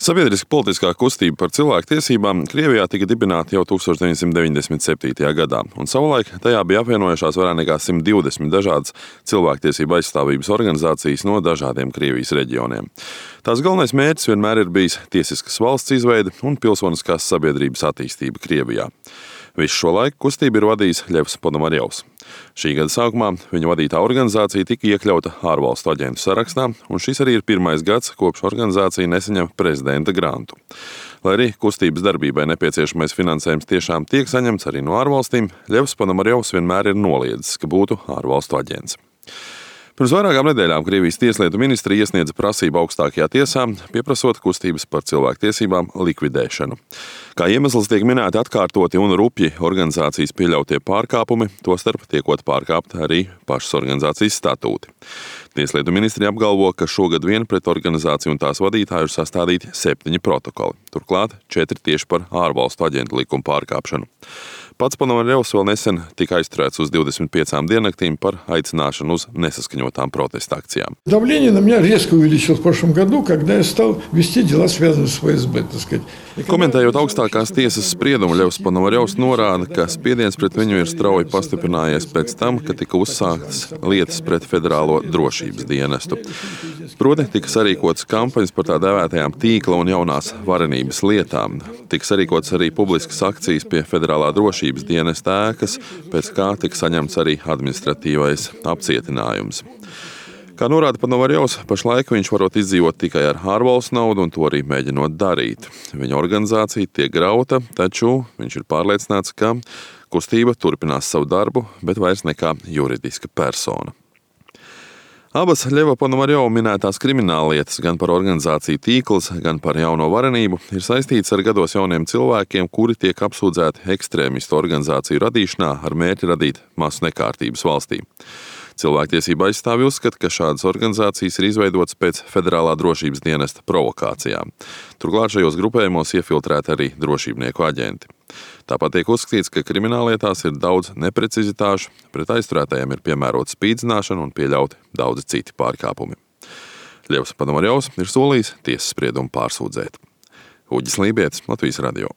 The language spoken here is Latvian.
Sabiedriska politiskā kustība par cilvēktiesībām Krievijā tika dibināta jau 1997. gadā, un savulaik tajā bija apvienojušās vairāk nekā 120 dažādas cilvēktiesību aizstāvības organizācijas no dažādiem Krievijas reģioniem. Tās galvenais mērķis vienmēr ir bijis tiesiskas valsts izveide un pilsoniskās sabiedrības attīstība Krievijā. Visu šo laiku kustību ir vadījis Ļevs Ponomarjovs. Šī gada sākumā viņa vadītā organizācija tika iekļauta ārvalstu aģentu sarakstā, un šis arī ir pirmais gads, kopš organizācija nesaņem prezidenta grantu. Lai arī kustības darbībai nepieciešamais finansējums tiešām tiek saņemts arī no ārvalstīm, Ļevs Ponomarjovs vienmēr ir noliedzis, ka būtu ārvalstu aģents. Pirms vairākām nedēļām Krievijas tieslietu ministrija iesniedza prasību augstākajā tiesā, pieprasot kustības par cilvēktiesībām likvidēšanu. Kā iemesls tiek minēti atkārtoti un rupji organizācijas pieļautie pārkāpumi, tostarp tiekot pārkāpti arī pašas organizācijas statūti. Tieslietu ministrija apgalvo, ka šogad vien pret organizāciju un tās vadītāju ir sastādīti 7 protokoli, turklāt 4 tieši par ārvalstu aģentu likumu pārkāpšanu. Pats Ponomarjovs vēl nesen tika aizturēts uz 25 diennaktīm par aicināšanu uz nesaskaņotām protesta akcijām. Давление на меня резко увеличилось в прошлом году, когда я стал вести дела, связанные с ФСБ, так сказать. Komentējot augstākās tiesas spriedumu, Ļevs Ponomarjovs norāda, ka spiediens pret viņu ir strauji pastiprinājies pēc tam, kad tika uzsāktas lietas pret Federālo drošības dienestu. Proti, tika sarīkotas kampaņas par tā dēvētajām tīkla un jaunās varenības lietām. Tika sarīkotas arī publiskas akcijas pie Federālā drošības dienesta ēkas, pēc kā tika saņemts arī administratīvais apcietinājums. Kā norāda Ponomarjovs, pašlaik viņš varot izdzīvot tikai ar ārvalstu naudu un to arī mēģinot darīt. Viņa organizācija tiek grauta, taču viņš ir pārliecināts, ka kustība turpinās savu darbu, bet vairs nekā juridiska persona. Abas Ļeva Ponomarjova minētās krimināllietas gan par organizāciju tīkls, gan par jauno varenību ir saistītas ar gados jauniem cilvēkiem, kuri tiek apsūdzēti ekstrēmistu organizāciju radīšanā ar mērķi radīt masu nekārtības valstī. Cilvēktiesība aizstāvji uzskata, ka šādas organizācijas ir izveidotas pēc Federālā drošības dienesta provokācijām. Turklāt šajos grupējumos iefiltrēti arī drošībnieku aģenti. Tāpat tiek uzskatīts, ka krimināllietās ir daudz neprecizitāšu, pret aizturētajiem ir piemērota spīdzināšana un pieļauti daudzi citi pārkāpumi. Ļevs Ponomarjovs ir solījis tiesas spriedumu pārsūdzēt. Uģis Lībietis, Latvijas radio.